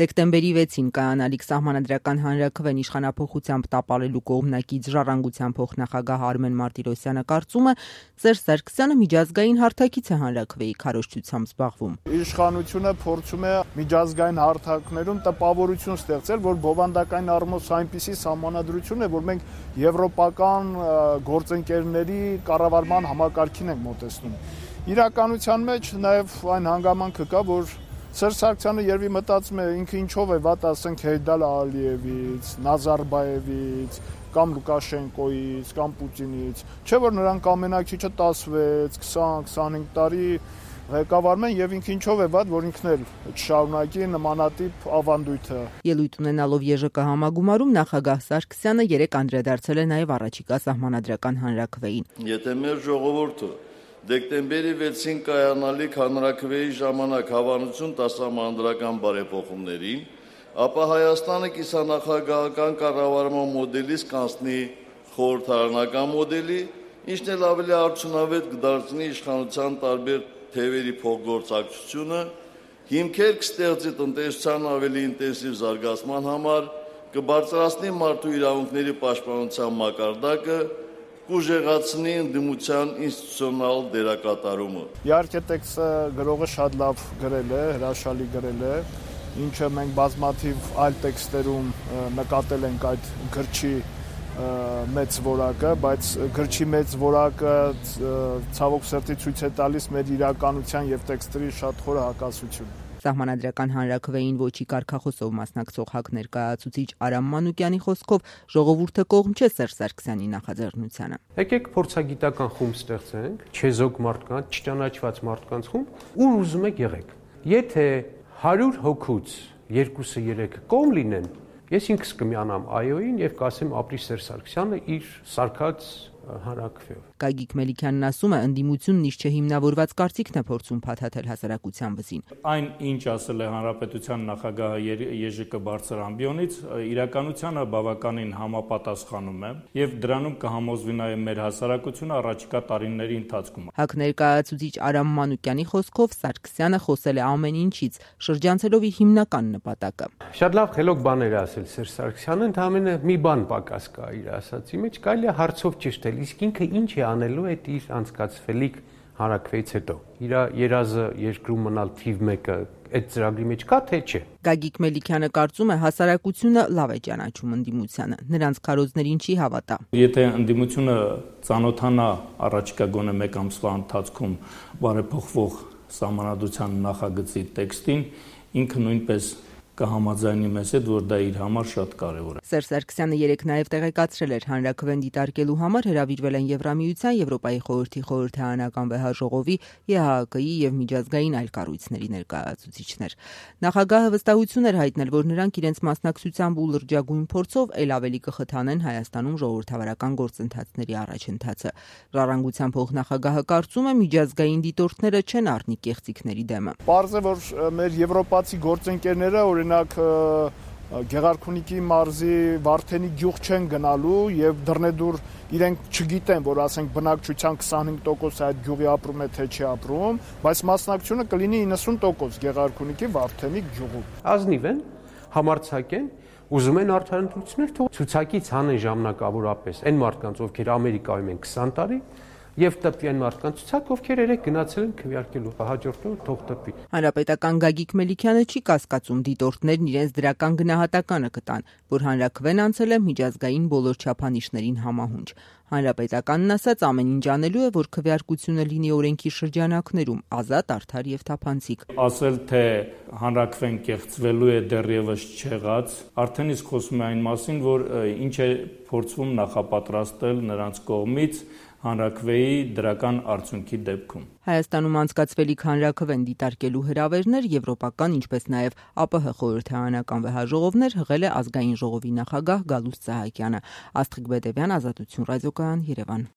Դեկտեմբերի 6-ին կայանալիք սահմանադրական հանրաքվեն իշխանափոխությամբ տապալելու կողմնակից Ժառանգության փոխնախագահ Արմեն Մարտիրոսյանը կարծում է, Սերժ Սարգսյանը միջազգային հարթակից է հանրաքվեի քարոզչությամբ զբաղվում։ Իշխանությունը փորձում է միջազգային հարթակներում տպավորություն ստեղծել, որ բովանդակային առումով այնպիսի սահմանադրություն է, որ մենք եվրոպական գործընկերների կառավարման համակարգին ենք մոտեցնում։ Իրականության մեջ նաև այն հանգամանքը կա, որ Սերժ Սարգսյանը երևի մտածում է ինքը ինչով է վատ, ասենք Հեյդար Ալիևից, Նազարբաևից, կամ Լուկաշենկոից, կամ Պուտինից, չէ որ նրանք ամենակիչը 16, 20, 25 տարի ղեկավարում են եւ ինքը ինչով է վատ, որ ինքն էլ չշարունակի նմանատիպ ավանդույթը։ Ելույթ ունենալով ԵԺԿ համագումարում նախագահ Սարգսյանը երեկ անդրադարձել է նաեւ առաջիկա սահմանադրական հանրաքվեին։ Եթե մեր ժողովուրդը դեկտեմբերի 6-ին կայանալիք հանրաքվեի ժամանակ հավանություն տա սահմանադրական բարեփոխումներին, ապա Հայաստանը կիսանախագահական կառավարման մոդելից կանցնի խորհրդարանական մոդելի, ինչն էլ ավելի արդյունավետ կդարձնի իշխանության տարբեր թևերի փոխգործակցությունը, հիմքեր կստեղծի տնտեսության ավելի ինտենսիվ զարգացման համար, կբարձրացնի մարդու իրավունքների պաշտպանության մակարդակը, կուժեղացնի ընդդիմության ինստիտուցիոնալ դերակատարումը։ Իհարկե տեքստը գրողը շատ լավ գրել է, հրաշալի գրել է, ինչը մենք բազմաթիվ այլ տեքստերում նկատել ենք այդ գրչի մեծ որակը, բայց գրչի մեծ որակը ցավոք սրտի ցույց է տալիս մեր իրականության եւ տեքստերի շատ խոր հակասություն։ Սահմանադրական հանրաքվեին ոչի կարգախոսով մասնակցող ՀԱԿ ներկայացուցիչ Արամ Մանուկյանի խոսքով ժողովուրդը կողմ չէ Սերժ Սարգսյանի նախաձեռնությանը։ Եկեք փորձագիտական խումբ ստեղծենք, չեզոք մարդկանց, չճանաչված մարդկանց խումբ, ու ուզում եք եղեք։ Եթե 100 հոգուց 2-3 կողմ լինեն, ես ինքս կմիանամ ԱՅՈ-ին եւ կասեմ ապրի Սերժ Սարգսյանը իր սարքած հանրաքվեով։ Գագիկ Մելիքյանն ասում է, ընդդիմությունն իր չհիմնավորված կարծիքն է փորձում փաթաթել հասարակության վզին։ Այն, ինչ ասել է հանրապետության նախագահը ԵԺԿ բարձր ամբիոնից, իրականությանը բավականին համապատասխանում է եւ դրանում կհամոզվի նաեւ մեր հասարակությունը առաջիկա տարիների ընթացքում։ ՀԱԿ ներկայացուցիչ Արամ Մանուկյանի խոսքով Սարգսյանը խոսել է ամեն ինչից, շրջանցելով իր հիմնական նպատակը։ Շատ լավ խելոք բաներ է ասել Սերժ Սարգսյանը, ընդհանրապես մի բան պակաս կա իր ասացի մեջ, կարելի է հարցով ճշտել, իսկ ինքը ինչ է անելու այդ իր անցկացվելիք հանրաքվեից հետո։ Իր երազը երկրում մնալ թիվ 1-ը այդ ծրագրի մեջ կա թե չէ։ Գագիկ Մելիքյանը կարծում է, հասարակությունը լավ է ճանաչում ընդդիմությանը, նրանց քարոզներին չի հավատա։ Եթե ընդդիմությունը ծանոթանա առաջիկա գոնե 1 ամսվա ընթացքում բարեփոխվող սահմանադրության նախագծի տեքստին, ինքը նույնպես կհամաձայնի մեզ հետ, որ դա իր համար շատ կարևոր է։ Սերժ Սարգսյանը երեկ նաև տեղեկացրել էր, հանրաքվեն դիտարկելու համար հրավիրվել են Եվրամիության, Եվրոպայի խորհրդի խորհրդարանական վեհաժողովի, ԵՀԱԿ-ի եւ միջազգային այլ կառույցների ներկայացուցիչներ։ Նախագահը վստահություն էր հայտնել, որ նրանք իրենց մասնակցությամբ ու լրջագույն փորձով ել ավելի կխթանեն Հայաստանում ժողովրդավարական գործընթացների առաջընթացը։ Ժառանգության փոխնախագահը կարծում է, միջազգային դիտորդները չեն առնի կեղծիքների դեմը։ Պարզ է, որ մեր եվրոպացի գործընկերները օրինակ Գեղարքունիքի մարզի Վարդենի գյուղ չեն գնալու եւ դռնեդուր իրենք չգիտեն, որ ասենք բնակչության 25% այդ գյուղի ապրում է թե չի ապրում, բայց մասնակցությունը կլինի 90% Գեղարքունիքի Վարդենի գյուղում։ Ազնիվ են, համարձակ են, ուզում են արդարացություններ թող ցուցակից հանեն ժամանակավորապես այն մարդկանց, ովքեր Ամերիկայում են 20 տարի, եւ տպվի այն մարդկանց ցուցակ, ովքեր երեք գնացել են քվեարկելու, հաջորդը թող տպվի։ Հանրապետական Գագիկ Մելիքյանը չի կասկածում դիտորդներն իրենց դրական գնահատականը կտան, որ հանրաքվեն անցել է միջազգային բոլոր չափանիշներին համահունչ։ Հանրապետականն ասաց, ամեն ինչ անելու է, որ քվեարկությունը լինի օրենքի շրջանակներում, ազատ, արդար եւ թափանցիկ։ Ասել թե հանրաքվեն կեղծվելու է դեռևս չեղած, արդեն իսկ խոսում է այն մասին, որ ինչ է փորձվում նախապատրաստել նրանց կողմից հանրաքվեի դրական արդյունքի դեպքում։ Հայաստանում անցկացվելիք հանրաքվեն դիտարկելու հրավերներ եվրոպական, ինչպես նաև ԱՊՀ խորհրդարանական վեհաժողովներ հղել է ազգային ժողովի նախագահ Գալուստ Սահակյանը։ Աստղիկ Բեդևյան, Ազատություն ռադիոկայան, Երևան։